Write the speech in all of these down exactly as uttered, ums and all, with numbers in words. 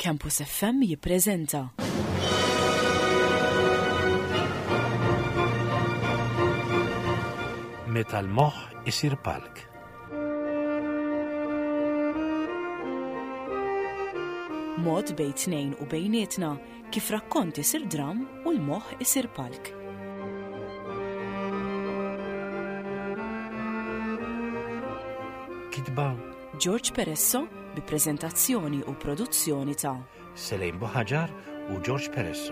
Campus F M jippreżenta Meta l-moħħ isir palk. Mod bejn tnejn u bejnietna kif rakkont isir dram u l-moħħ isir palk. Kitba George Peresso bi preżentazzjoni u produzzjoni ta' Selejn Buħaġar u George Peresso.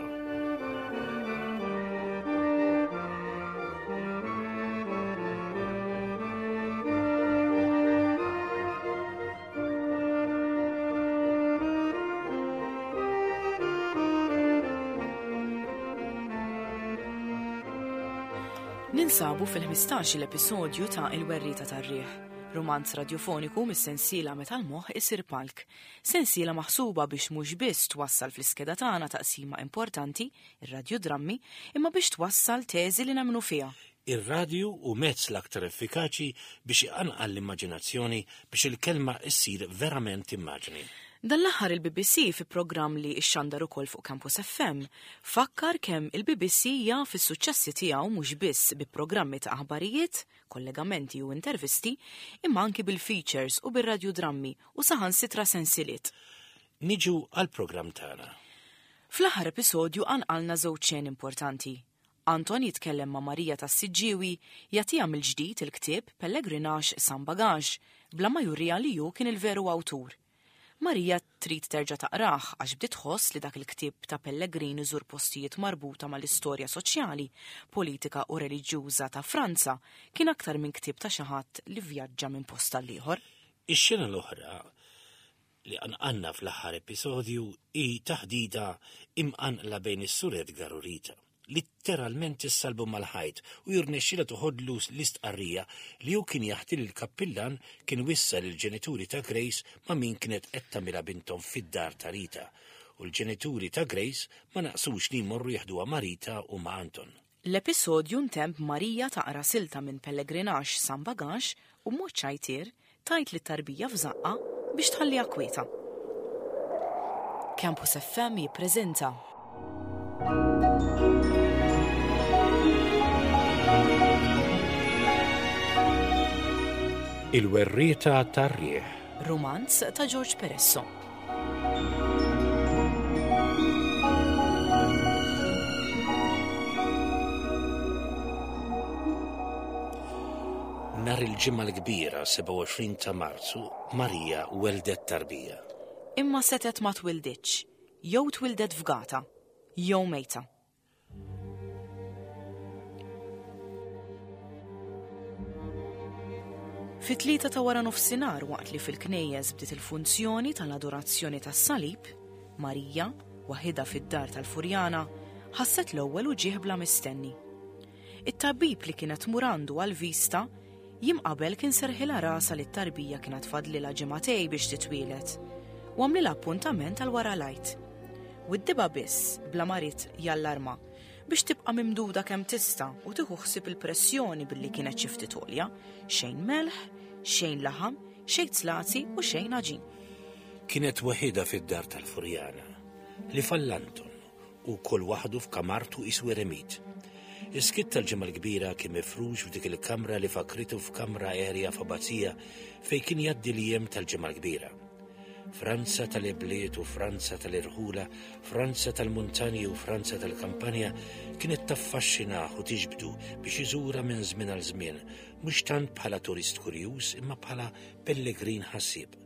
Ninsabu fil-ħmistax-il episodju ta' Il-Werrieta tar-Riħ, romanz radiofoniku mis-sensiela Meta l-moħħ isir palk. Sensiela maħsuba biex mhux biss twassal fl-iskeda tagħna taqsima importanti, ir-radjodrammi, imma biex twassal teżi li nemmnu fiha. Ir-radju hu mezz l-aktar effikaċi biex iqanqal l-immaġinazzjoni, biex il-kelma issir verament immaġni. Dan l-aħħar il-B B C fi programm li xxandar ukoll fuq Campus F M fakkar kemm il-B B C jaf is-suċċessi tiegħu mhux biss bi programmi ta' aħbarijiet, kollegamenti u intervisti, imma anki bil-features u bir-radjodrammi u saħansitra sensiliet. Niġu għal-programm tagħna. Fl-aħħar episodju qanqalna żewġ xeni importanti. Anton jitkellem ma' Marija tas-Siġġiewi, jagħtiha mill-ġdid il-ktieb Pellegrinax Sans Bagage, bla ma jurija li hu kien il-veru awtur. Marija trid terġa' taqrah għax bdiet tħoss li dak il-ktieb ta' Pellegrin iżur postijiet marbuta mal-istorja soċjali, politika u reliġjuża ta' Franza kien aktar minn ktieb ta' xi ħadd li vjaġġa minn post għal ieħor. Ix-xena l-oħra li qanqalna fl-aħħar episodju hi taħdida imqanqla bejn is-Sur Edgar u Rita. Litteralment issalbu mal-ħajt u jirnexxila toħodlu l-istqarrija li hu kien jaħti li l-kappillan kien wissa lill-ġenituri ta' Grace ma' min kienet qed tagħmilha binthom fid-dar ta' Rita, u l-ġenituri ta' Grace ma naqsux li jmorru jeħduha ma' Rita u ma' Anton. L-episodju ntemm Marija taqra silta minn Pellegrinax Sans Bagage u mod ċajtier tgħid lit-tarbija f'żaqqa biex tħalliha kwieta. Campus F M jippreżenta Il-Werrieta tar-Riħ. Romanz ta' George Peresso. Nhar il-Ġimgħa l-Kbira, sebgħa u għoxrin ta' Marzu, Marija weldet tarbija. Imma setet ma twilditx, jew twildet fgata, jew mejta. Fit-tlieta ta' wara nofsinhar, waqt li fil-knejjes bdiet il-funzjoni tal-adorazzjoni tas-salib, Marija, waħidha fid-dar tal-Furjana, ħasset l-ewwel uġigħ bla mistenni. It-tabib li kienet tmur għandu għal-vista jiem qabel kien serħilha rasha li t-tarbija kienet fadlilha ġimagħtejn biex titwielet u għamlilha appuntament għal wara l-Għid. Widdibha biss bla ma ried jallarma biex tibqa' mimduda kemm tista' u tieħu ħsieb il-pressjoni billi kienet xi ftit għolja, xejn melħ, xejn laħam, xejn zlazi u xejn għaġin. Kienet waħidha fid-dar tal-Furjana, li fallanton u kull waħdu f'kamartu qisu eremit. Is-skiet tal-Ġimgħa l-Kbira kien mifrux f'dik il-kamra li fakritu f'kamra erja f'abbazija fejn kien jgħaddi l-jiem tal-Ġimgħa l-Kbira. Franza tal-ibliet u Franza tal-irħula, Franza tal-muntanji u Franza tal-kampanja kienet taffaxxinah u tiġbdu biex iżura minn żmien għal żmien, mhux tant bħala turist kurjuż imma bħala pellegrin ħassieb.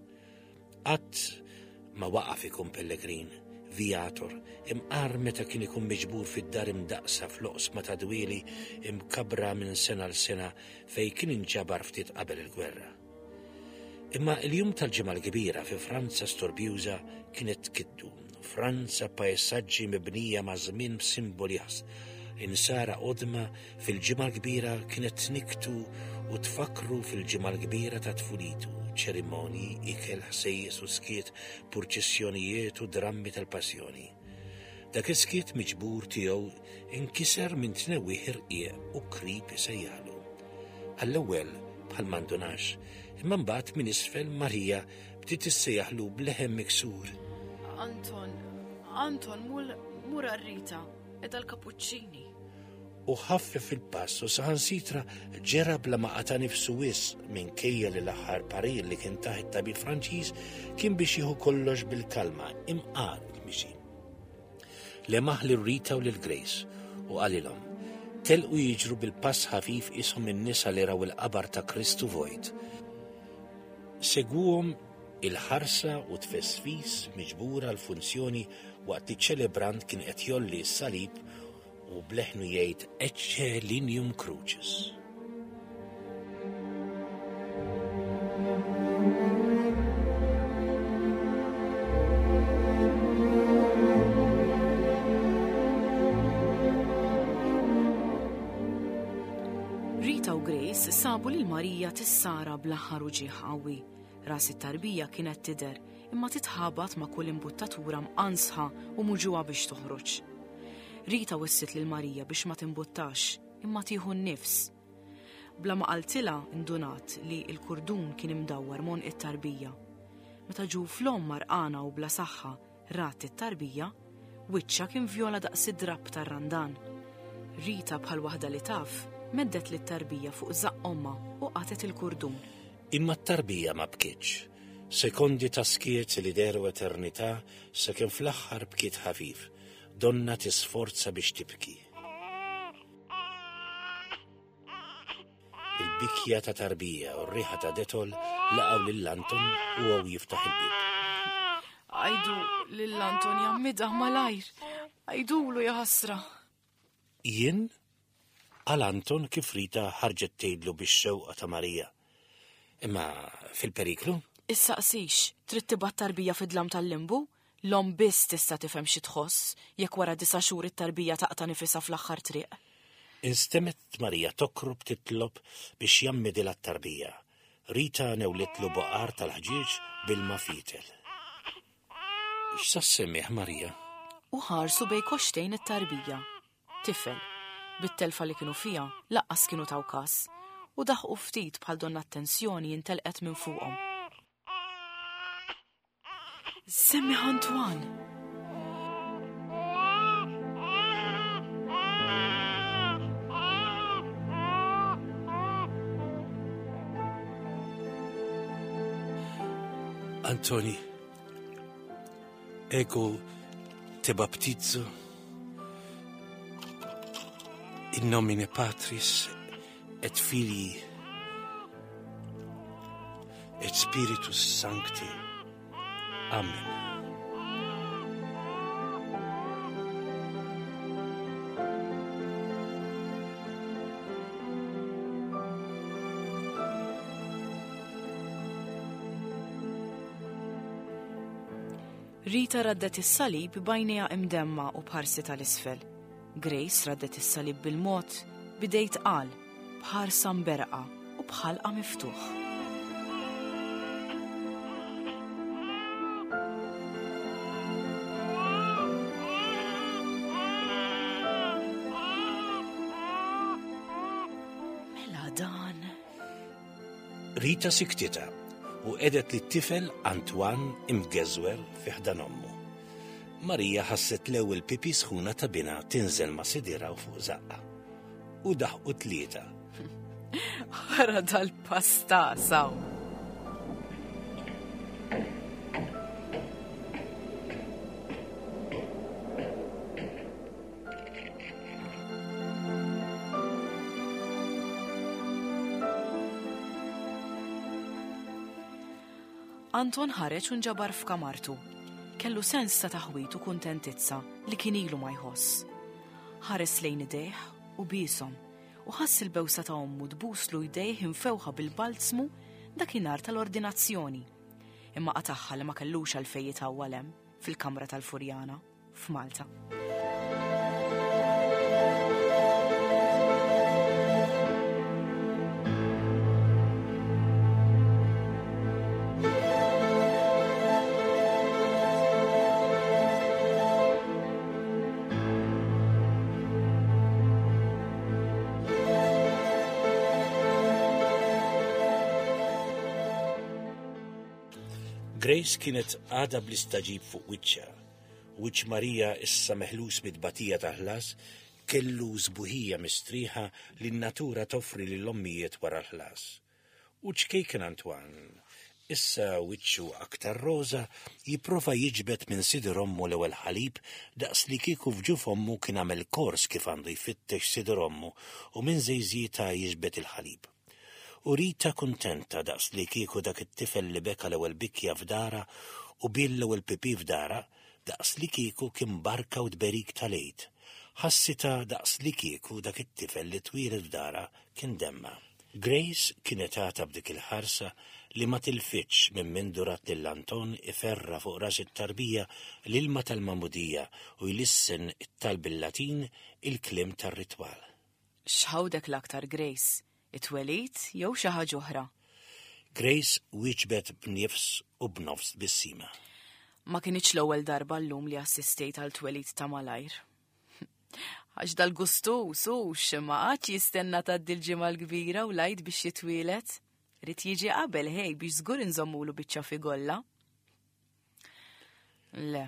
Qatt ma waqaf ikun pellegrin, viator, imqar meta kien ikun miġbur fid-dar imdaqsa fl-oqsma ta' dwieli imkabra minn sena l sena fejn kien inġabar ftit qabel il-gwerra. Imma il-jum tal-Ġimgħa l-Kbira fi Franza storbjuża kienet tkiddu. Franza pajsaġġi mibnija ma' żmien b'simboli insara qodma fil-Ġimgħa l-Kbira kienet tniktu u tfakru fil-Ġimgħa l-Kbira ta' tfulitu, ċerimonji, ikel, ħsejjes u skiet, purċissjonijiet u drammi tal-passjoni. Dak is-skiet miġbur tiegħu inkiser minn tnewwieħ irqiq u krib isejjaħlu. Għall-ewwel bħal m'indunax, imma mbagħad minn isfel Marija bdiet issejjaħlu b'leħen miksur. Anton, Anton, mul mur Rita, edha l-kapuċċini. U ħaffef il-pass u saħansitra ġera bla ma qata' nifsu wisq minkejja li l-aħħar parir li kien taħt it-tabib Franċiż kien biex jieħu kollox bil-kalma imqar il-mixi. Lemaħ lil Rita u lil Grace u qalilhom telqu jiġru bil-pass ħafif ishom in-nisa li raw il-qabar ta' Kristu vojt. Segwuhom il-ħarsa u tfesfis miġbura l-funzjoni waqt li ċelebrant kien qed jolli s-salib u bleħnu jgħid Ecce lignum crucis. Rita u Grace sabu lil Marija tissara bl-aħħar uġigħ qawwi. Ras it-tarbija kienet tidher imma titħabat ma' kull imbuttatura mqansħa u muġugħa biex toħroġ. Rita wissit lil Marija biex ma timbuttax imma tieħu n-nifs. Bla ma qaltilha indunat li l-kurdun kien imdawwar m'għonq it-tarbija. Meta ġuf l-omm marqana u bla saħħa rat it-tarbija, wiċċha kien vjola daqs id-drapp tar-randan. Rita bħal waħda li taf, meddet lit-tarbija fuq żaqq ommha u qatgħet il-kurdun. Imma t-tarbija ma bkietx. Sekondi ta' skiet li dehru eternità sakemm fl-aħħar bkiet ħafif, donna tisforza biex tibki. Il-bikja ta' tarbija u r-riħa ta' Detol laqgħu lil Anton u għaw jiftaħ il-bieb. Għajdu lil Anton jammidha malajr, għajdulu jaħasra. Jien? Għal Anton kif Rita ħarġet tgħidlu bix-xewqa ta' Marija. Imma fil-periklu? Issaqsix, trid tibgħat tarbija fid-dlam tal-limbu? L-omm biss tista' tifhem xi tħoss jekk wara disa' xhur it-tarbija taqta' nifisha fl-aħħar triq. Instemmet Marija tokrob titlob biex jammidilha t-tarbija. Rita newlitlu baqar tal-ħġieġ bil-ma fitel. X'sa semmih Marija? U ħarsu bej koxtejn it-tarbija. Tifel, bit-telfa li kienu fiha, laqqas kienu taw kas, u daħqu ftit bħal donna attenzjoni intelqet minn fuqhom. Semmi Antoine! Antoni, ego te baptizzo in nomine Patris et Filii et Spiritus Sancti. Amen. Rita raddet is-salib b'għajnejha imdemma u b'ħarsi tal-isfel. Grace raddet is-salib bil-mod bidejt qal, b'ħarsa mberqa u b'ħalqa miftuħ. Mela dan. Rita siktita u edet li t-tifel Antoine imgeżwer fi ħdan ommu. Marija ħasset l-ewwel pipi sħuna ta' binha tinżel ma' sidira u fuq żaqqa. U daħqu tlieta. Ħara dal-pasta saw. Anton ħareġ u nġabar f'kamartu. Kellu sens ta' taħwit u kuntentizza li kien ilu ma jħoss. Ħares lejn idejh u bieshom u ħass il-bewsa ta' ommu tbuslu jdejh imfewħa bil-balzmu dakinhar tal-ordinazzjoni. Imma qatagħha li ma kellux għalfejn jitawwal hemm fil-kamra tal-Furjana f'Malta. Grace kienet għadha bl-istagħġib fuq wiċċha. Wiċċ Marija issa meħlus mit-tbatija tal-ħlas kellu sbuħija mistrieħa li n-natura toffri lill-ommijiet wara l-ħlas. U ċkejken Antoine, issa wiċċu aktar roża, jipprova jiġbed minn sider ommu l-ewwel ħalib daqs li kieku f'ġuf ommu kien għamel kors kif għandu jfittex sider ommu u minn żejżietha jiġbed il-ħalib. U Rita kuntenta daqs li kieku dak it-tifel li beka l-ewwel bikja f'darha u biel l-ewwel pipi f'darha daqs li kieku kien barka u tberik tal-Għid. Ħassitha daqs li kieku dak it-tifel li twieled f'darha kien demmha. Grace kienet għadha b'dik il-ħarsa li ma tilfitx minn mindu rat lil Anton iferra fuq ras it-tarbija l-ilma tal-magħmudija u jlissen it-talb bil-Latin il-kliem tar-ritwal. X'ħawdek l-aktar, Grace? It-twelid jew xi ħaġa oħra? Grace wieġbet b'nifs u b'nofs tbissima. Ma kinitx l-ewwel darba llum li assistejt għal twelid ta' malajr. Għax dal-gustus hux ma qagħadx jistenna tgħaddi l-Ġimgħa l-Kbira u l-Għid biex jitwielet. Ried jiġi qabel ħej biex żgur inżommulu biċċa figolla. Le,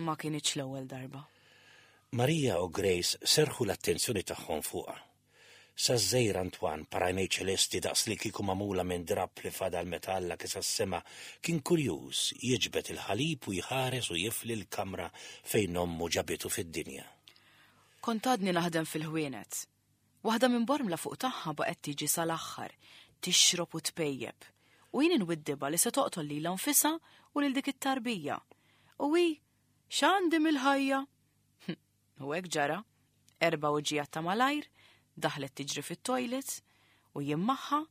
ma kinitx l-ewwel darba. Marija u Grace serħu l-attenzjoni tagħhom fuqha. Sa żgħir Antoine b'għajnejn ċelesti daqs li kieku magħmula minn drapp li fadal meta Alla kesa s-sema kien kurjuż jiġbed il-ħalib u jħares u jifli l-kamra fejn ommu ġabitu fid-dinja. Kont għadni naħdem fil-ħwienet. Waħda minn Bormla fuq tagħha baqgħet tiġi sal-aħħar, tixrob u tpejjeb. U jien inwiddibha li se toqtol lilha nfisha u lil dik it-tarbija. U hi, x'għandi mill-ħajja? U hekk ġara, erba' uġigħat ta' malajr, daħlet tiġri fit-toilet u jien magħha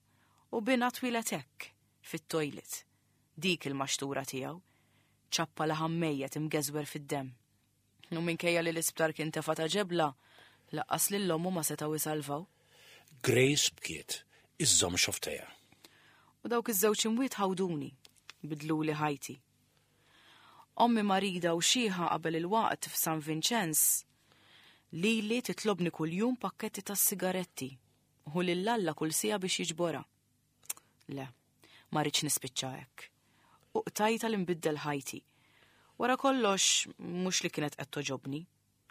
u binha twieled hekk fit-toilet. Dik il-maxtura tiegħu, ċappa laħam mejjet imgeżwer fid-demm. U minkejja li l-isptar kien tefa' ta' ġebla, lanqas lil ommu ma setgħu jsalvaw. Grace bkiet, iżżomm xofftejha. U dawk iż-żewġ imwiet ħawduni, bidluli ħajti. Ommi marida u xiħa qabel il-waqt f'San Vinċenz, lili titlobni kuljum pakketti ta' sigaretti u lil Alla kull siegħa biex jiġborha. Le, ma rridx nispiċċa hekk. U qtajta li nbiddel ħajti. Wara kollox, mhux li kienet qed toġobni,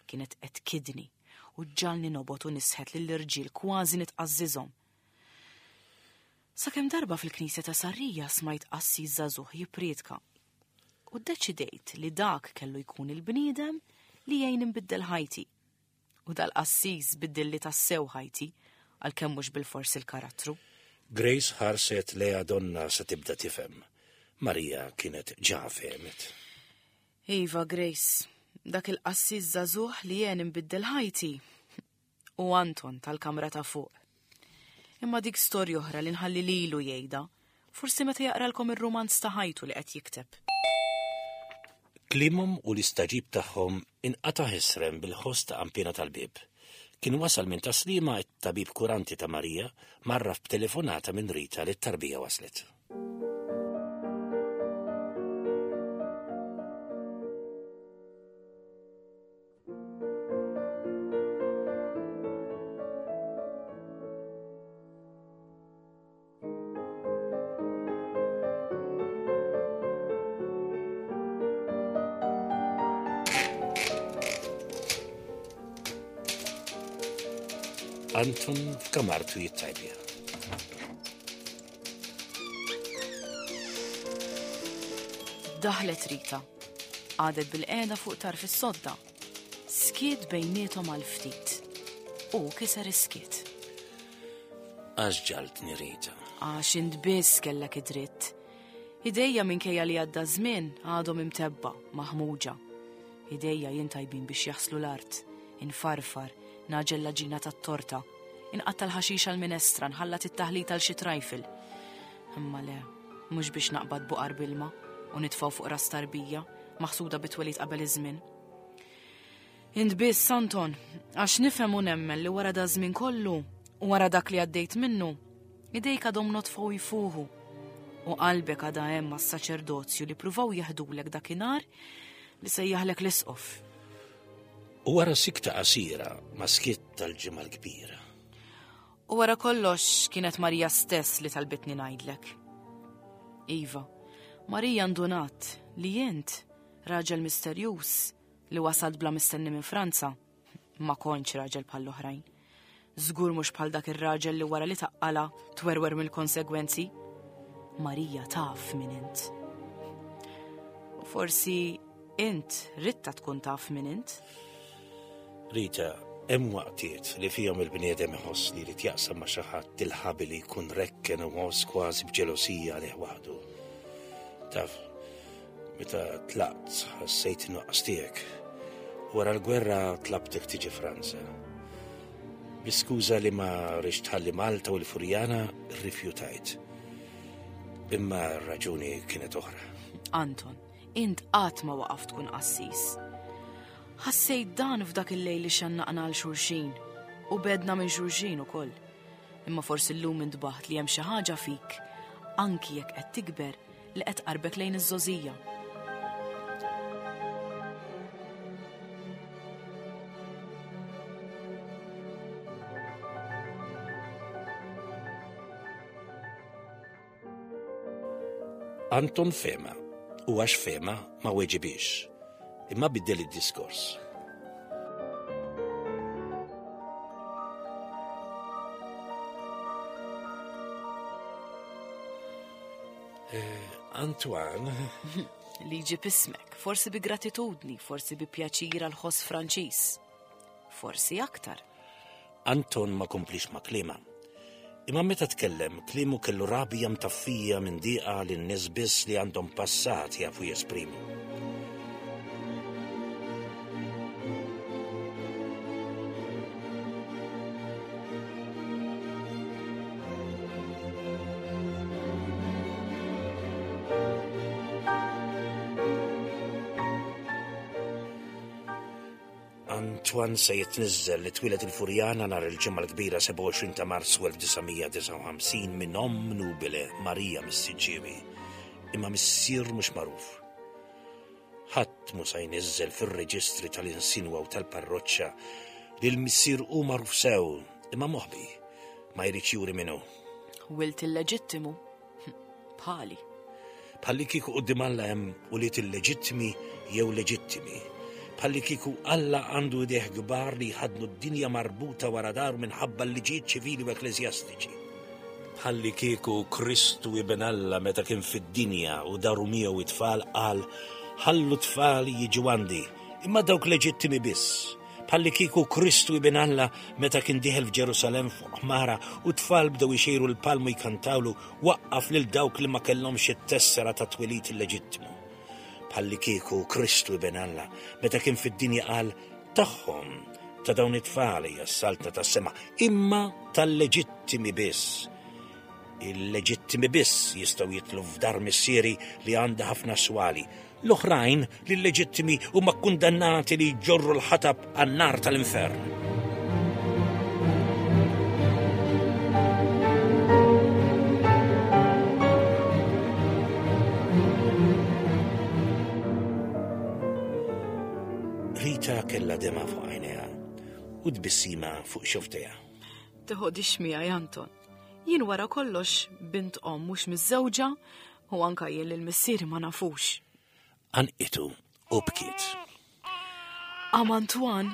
kienet qed tkidni u ġġagħalni nobgħod u nisħet lill-irġiel kważi nitqażżiżhom. Sakemm darba fil-knisja ta' Sarrija smajt qassis żagħżugħ jippriedka. U ddeċidejt li dak kellu jkun il-bniedem li jgħin inbiddel ħajti. U dal-qassis biddilli tassew ħajti, għalkemm mhux bilfors il-karattru. Grace ħarset lejha donnha se tibda tifhem. Marija kienet ġa fehmet. Iva, Grace, dak il-qassis żagħżugħ li jgħin inbiddel ħajti. U Anton tal-kamra ta' fuq. Imma dik storja oħra li nħalli lilu jgħidha, forsi meta jaqralkom ir-rumanz ta' ħajtu li qed jikteb. Kliemhom u l-istagħġib tagħhom inqata' ħesrem bil-ħoss ta' qanpiena tal-bieb. Kien wasal minn Taslima it-tabib kuranti ta' Marija marraf b'telefonata minn Rita li t-tarbija waslet. Anton f'kamartu jittajbja. Daħlet Rita. Qagħdet bilqiegħda fuq tarf is-sodda. Skiet bejniethom għal ftit. U kiser is-skiet. Għax ġagħaltni Rita. Għax int biss kellek id-dritt. Idejja minkejja li għadda żmien għadhom imtebba, maħmuġa. Idejja jien tajbin biex jaħslu l-art, infarfar, nagħġen l-għaġina tat-torta, inqatta' l-ħaxix għal-minestra, nħallat it-taħlit għal xi trifle. Imma le, mhux biex naqbad buqar bilma u nitfgħu fuq ras tarbija, maħsuda bit-twelid qabel iż-żmien. Int biss, Anton, għax nifhem u nemmen li wara da żmien kollu u wara dak li għaddejt minnu, idejk għadhom nodfa u jfuħu. U qalbek għadha hemm mas-saċerdozju li pruvaw jeħdulek dakinhar li sejjaħlek l-isqof. U wara sikta qasira ma skiet tal-Ġimgħa l-Kbira. U wara kollox kienet Marija stess li talbitni ngħidlek. Iva, Marija ndunat li int raġel misterjuż li wasalt bla mistenni minn Franza. Ma kontx raġel bħall-oħrajn. Żgur mhux bħal dak ir-raġel li wara li taqqala twerwer mill-konsegwenzi. Marija taf min int. U forsi int ritta tkun taf min int. Rita, hemm waqtiet li fihom il-bniedem iħoss li jrid jaqsam ma' xi ħadd il-ħabi li jkun rekken u ħoss kważi b'ġelosija għalih waħdu. Taf, meta tlaqt ħassejt nuqqas tiegħek. Wara l-gwerra tlabtek tiġi Franza. Bi skuża li ma rridx tħalli Malta u l-Furjana rrifjutajt. Imma r-raġuni kienet oħra. Anton, int qatt ma waqaft tkun qassis. Ħassejt dan f'dak il-lejl li xannaqna għal xulxin u bedna minn xulxin ukoll. Imma forsi llum intbaħt li hemm xi ħaġa fik, anki jekk qed tikber, li qed tqarbek lejn iż-żgħożija. Anton fema, u għax fema ma weġibix, imma biddel id-diskors. Eh, Antoine. Li jġib ismek, forsi bi gratitudni, forsi bi pjaċir għal ħoss Franċiż. Forsi aktar. Anton ma komplix ma kliema. Imma meta tkellem, kliemu kellu rabja mtaffija minn diqa li n-nies biss li għandhom passat jafu jesprimu. Antoine se jitniżżel li twieled il-Furjana nhar il-Ġimgħa l-Kbira sebgħa u għoxrin ta' Marzu elf disa' mija disgħa u ħamsin minn omm nubile Marija mis-Siġġiewi, imma missier mhux magħruf. Ħadd mhu se jniżżel fir-reġistri tal-insinwa u tal-parroċċa li l-missier hu magħruf sew, imma moħbi, ma jridx juri min hu. Wilt illeġittimu, bħali. Bħalli kieku quddiem Alla hemm ulied illeġittimi jew leġittimi. Bħalli kieku Alla għandu idejh kbar li jħaddnu d-dinja marbuta wara daru minħabba l-liġijiet ċivili u ekkleżjastiċi. Bħalli kieku Kristu ibn Alla meta kien fid-dinja u daru miegħu it-tfal qal ħallu tfal jiġu għandi, imma dawk leġittimi biss. Bħalli kieku Kristu ibn Alla meta kien dieħel f'Ġerusalem fuq ħmara u tfal bdew ixejru l-palmu jkantawlu waqqaf lil dawk li ma kellhomx it-tessera ta' twelid illeġittimu. Bħalli kieku Kristu ibn Alla meta kien fid-dinja qal tagħhom ta' dawn it-tfal hija s-saltna tas-sema, imma tal-leġittimi biss. Il-leġittimi biss jistgħu jitlu f'dar missieri li għandha ħafna swali. L-oħrajn li l-leġittimi huma kkundannati li jġorru l-ħatab għan-nar tal-infern. Rita kellha dema fuq għajnejha u tbissima fuq xofftejha. Teħodix miegħi, Anton. Jien wara kollox bint omm mhux miżżewġa u anka jien lil missieri ma nafux. Anqitu u bkiet. Am Antoine,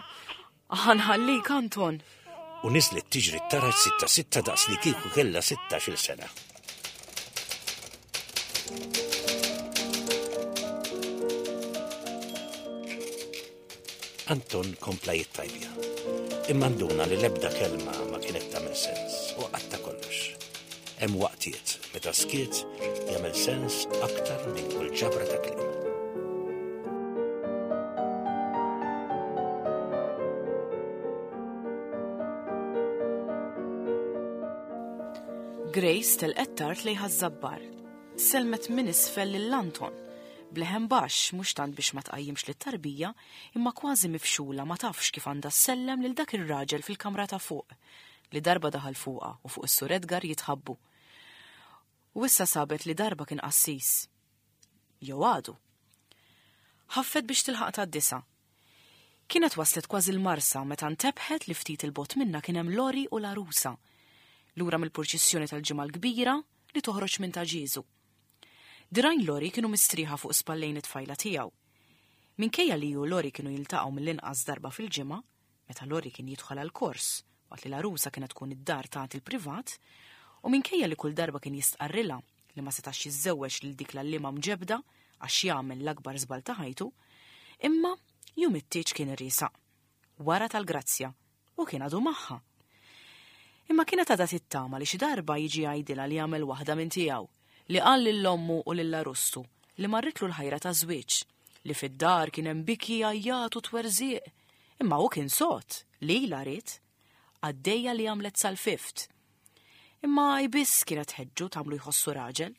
ħanħallik Anton. U niżlet tiġri t-taraġ sitta sitta daqs li kieku kellha sittax-il sena. Anton kompla jittajbja. Imma nduna li l-ebda kelma ma kienet tagħmel sens u qatta kollox. Hemm waqtiet meta skiet jagħmel sens aktar minn kull ġabra ta' kliem. Grace telqet tard lejn Ħaż-Żabbar. Selmet minn isfel lil Anton. Bleħen baxx mhux tant biex ma tqajjimx lit-tarbija, imma kważi mifxula ma tafx kif għandha ssellem lil dak ir-raġel fil-kamra ta' fuq, li darba daħal fuqha u fuq is-Sur Edgar jitħabbu. U issa sabet li darba kien qassis. Jew għadu. Ħaffet biex tilħaq tad-disa. Kienet waslet kważi l-Marsa meta ntebħet li ftit il-bot minna kien hemm Lori u l-għarusa. Lura mill-purċissjoni tal-Ġimgħa l-Kbira li toħroġ minn ta' Ġieżu. Dirgħajn Lori kienu mistrieħa fuq spallejn it-tfajla tiegħu. Minkejja li hu u Lori kienu jiltaqgħu mill-inqas darba fil-ġimgħa, meta Lori kien jidħol għall-kors waqt li l-għarusa kienet tkun id-dar tagħti l-privat, u minkejja li kull darba kien jistqarrilha li ma setax jiżżewweġ lil dik l-għalliema mġebda għax jagħmel l-akbar żball ta' ħajtu, imma jum it-tieġ kien riesaq, wara tal-grazzja, u kien għadu magħha. Imma kienet għadha tittama li xi darba jiġi jgħidilha li għamel waħda minn tiegħu, li qal lil ommu u lil Arustu li marritlu l-ħajra ta' żwieġ, li fid-dar kien hemm biki għajjat u twerżieq, imma hu kien sod lilha ried, għaddejja li għamlet sal-fift. Imma hi biss kienet tħeġġu tagħmlu jħossu raġel.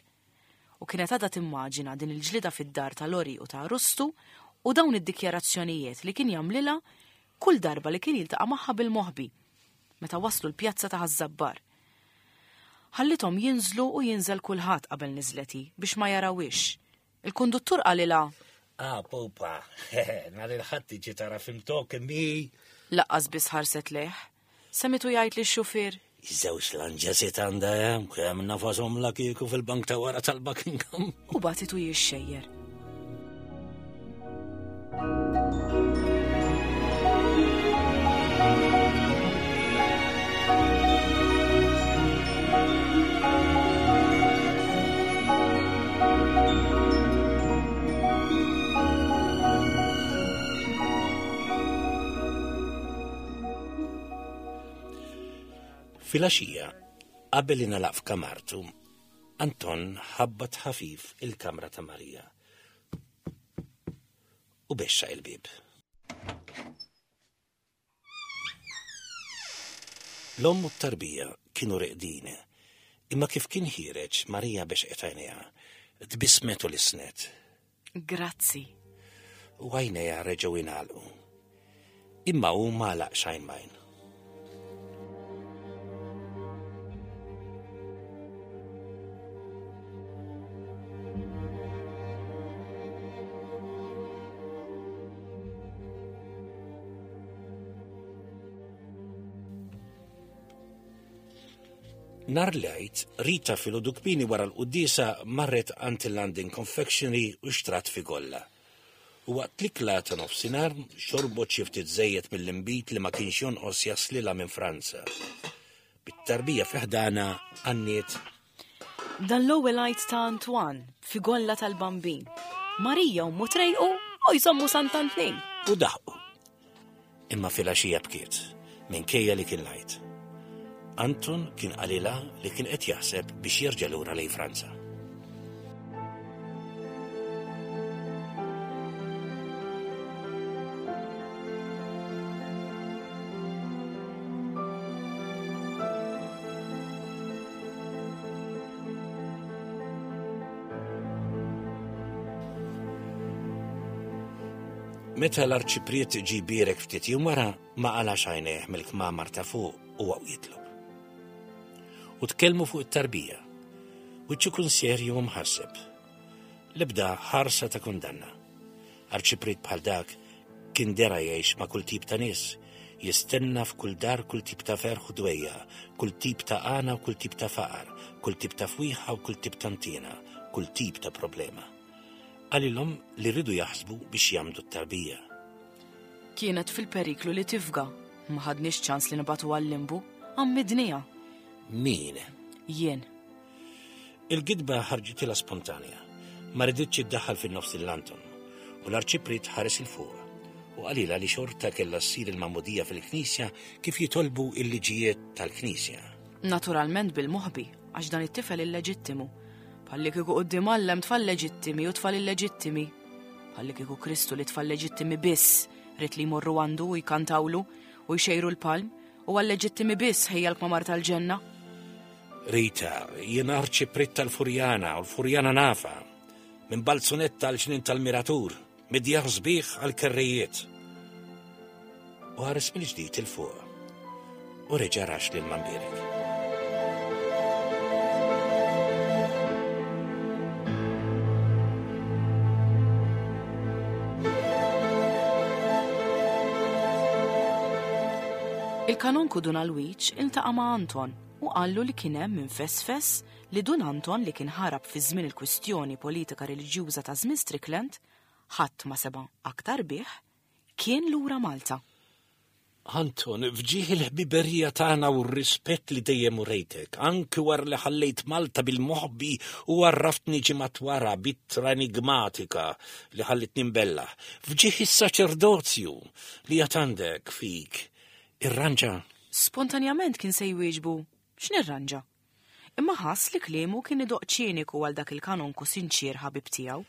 U kienet għadha timmaġina din il-ġlida fid-dar ta' Lori u ta' Arustu u dawn id-dikjarazzjonijiet li kien jagħmlilha kull darba li kien jiltaqa' magħha bil-moħbi meta waslu l-pjazza ta' Ħaż-Żabbar. Ħallithom jinżlu u jinżel kulħadd qabel niżlet hi biex ma jarawhiex. Il-konduttur qalilha: Ah, pupa, nhar il-Ħadd tiġi tara film talking me. Lanqas biss ħarset lejh. Semgħetu jgħid lix-xufier: Żewġ lanġesit għandha hemm, kemm nafashom la kieku fil-bank ta' wara tal-Buckingham. U bagħtitu jixxejjer. Filgħaxija, qabel ingħalaq f'kamartu, Anton ħabbat ħafif il-kamra ta' Marija u bexxa il-bib. L-omm u t-tarbija kienu reqdin, imma kif kien ħiereġ Marija bexqet għajnejha, tbissmet u lissnet. Grazzi. U għajnejha reġgħu ingħalqu. Imma hu m'għalaqx għajn m'għajn. Nhar l-Għid, Rita filgħodu kmieni wara l-quddiesa marret għand il-London Confectionery u xtrat figolla. U waqt l-ikla ta' nofsinhar xorbot xi ftit żejjed mill-inbid li ma kienx jonqos jaslilha minn Franza. Bit-tarbija fi ħdana għanniet. Dan l-ewwel Għid ta' Antoine, figolla tal-Bambin. Marija u Mutrejqu u jżommu Sant'Antnin. U daħqu. Imma filgħaxija bkiet, minkejja li kien l-Għid. Anton kien qalilha li kien qed jaħseb biex jerġa' lura lejn Franza. Meta l-arċipriet ġie jbierek ftit jum wara, ma qalax għajnejh mill-kmamar ta' fuq u għaw jitlob. U tkellmu fuq it-tarbija, wiċċu kun serju u mħasseb. L-ebda ħarsa ta' kundanna. Arċipriet bħal dak kien dera jgħix ma' kull tip ta' nies, jistenna f'kull dar kull tip ta' ferħ u dwejja, kull tip ta' għana u kull tip ta' faqar, kull tip ta' fwieħa u kull tip ta' ntiena, kull tip ta' problema. Qalilhom li rridu jaħsbu biex jagħmdu t-tarbija. Kienet fil-periklu li tifga, ma ħadniex ċans li nibatu għal-limbu, għammidnija. Min? Jien. Il-gidba ħarġitilha spontanja, ma riditx iddaħħal fin-nofs lil Anton, u l-arċipriet ħares 'il fuq u qalilha li xorta kellha ssir il-magħmudija fil-knisja kif jitolbu il-liġijiet tal-knisja. Naturalment bil-moħbi, għax dan it-tifel illeġittimu. Bħalli kieku quddiem Alla hemm tfal leġittimi u tfal illeġittimi. Bħalli kieku Kristu li tfal leġittimi biss ried li jmorru għandu u jkantawlu u jxejru l-palm u għal-leġittimi biss ħejja l-kmamar tal-ġenna. Rita, jien arċipriet tal-Furjana u l-Furjana nafa, minn Balzunetta għal ġnien tal-Miratur, mid-djar sbieħ għal-kerrijiet. U ħares mill-ġdid 'il fuq u reġa' rax lil Mambierek. Il-kanonku Dun Alwiċ iltaqa' ma' Anton u qallu li kien hemm minn fesfes li Dun Anton li kien ħarab fi żmien il-kwistjoni politika reliġjuża ta' żmien Strickland, ħadd ma sema' aktar bih, kien lura Malta. Anton, f'ġieħ il-ħbiberija tagħna u r-rispett li dejjem urejtek, anki wara li ħallejt Malta bil-moħbi u għarraftni ġimgħat wara b'ittra enigmatika li ħallitni mbellah, f'ġieħ is-saċerdozju li għad għandek fik, irranġa. Spontanjament kien se jwieġbu, x'nirranġa? Imma ħass li kliemu kien idoqq ċiniku għal dak il-kanonku sinċier ħabib tiegħu.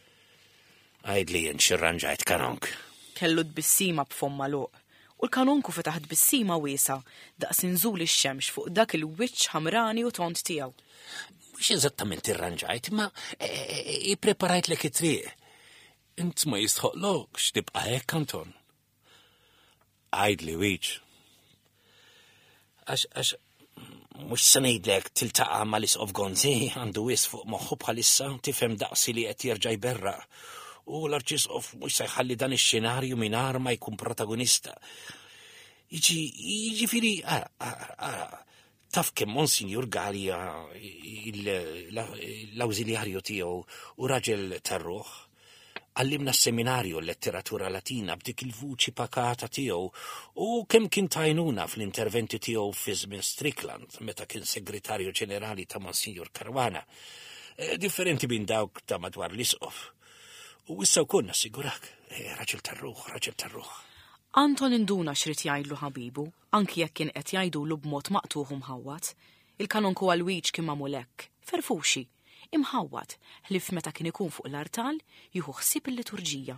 Għidli int x'irranġajt, kanonk. Kellu tbissima b'fomm magħluq, u l-kanonku fetaħ tbissima wiesgħa daqs inżul ix-xemx fuq dak il-wiċċ ħamrani u tond tiegħu. Mhux eżattament irranġajt, imma ippreparajtlek it-triq. Int ma jistħoqlokx tibqa' hekk, Anton. Għidli wiċ. Għax, għax, mhux se ngħidlek tiltaqa' mal-Isqof Gonzi, għandu wisq fuq moħħu bħalissa, tifhem daqsi li qed jerġa' jberraq. U l-Arċisqof mhux se jħalli dan ix-xenarju mingħajr ma jkun protagonista. Jiġi, jiġifieri, ara, ara, ara, taf kemm Monsinjur Galea, l-awżiljarju tiegħu u raġel tar-ruħ, għallimna s-seminarju l-letteratura latina b'dik il-vuċi pakata tiegħu u kemm kien tajnuna fl-interventi tiegħu fi żmien Strickland meta kien segretarju ġenerali ta' Monsinjur Caruana. Eh, differenti minn dawk ta' madwar l-isqof. U issa wkoll nassigurak, eh, raġel tar-ruħ, raġel tar-ruħ. Anton induna x'rid jgħidlu ħabibu, anki jekk kien qed jgħidulu b'mod maqtuħ u mħawwad. Il-kanonku Alwiġ kien magħmul hekk, ferfuxi, imħawwad, ħlief meta kien ikun fuq l-artal jieħu ħsieb il-liturġija.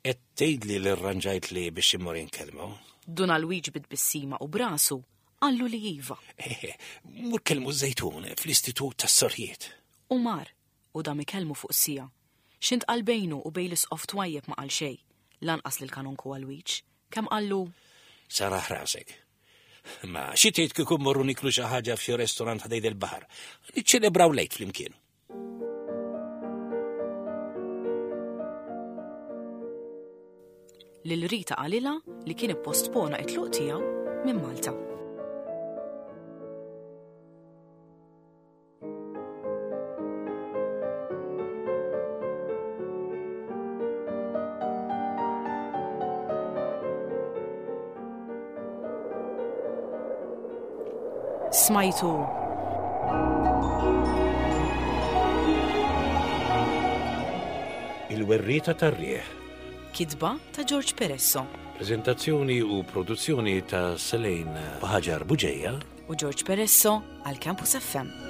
Qed tgħidli li rranġajtli biex immur inkellmu? Dun Alwiġ bit-tbissima u brasu qallu li iva. Eh, mur kellmu Żejtun fl-Istitut tas-Sorjiet. U mar, u dam ikellmu fuq sija. X'intqal bejnu u bejn l-isqof twajjeb ma qal xejn, lanqas lil kanonku Alwiġ. Kemm qallu? Saraħ rasek. Ma xi tgħid kieku mmorru niklu xi ħaġa f'xi restorant ħdejn il-baħar. Niċċelebraw lejt flimkien. Lil Rita qalilha li kien ippostpona it-tluq tiegħu minn Malta. Smajtu. Il-Werrieta tar-Riħ. Kitba ta' George Peresso. Prezentazzjoni u produzzjoni ta' Selene Baħaġar Buġeja u George Peresso għal Campus F M.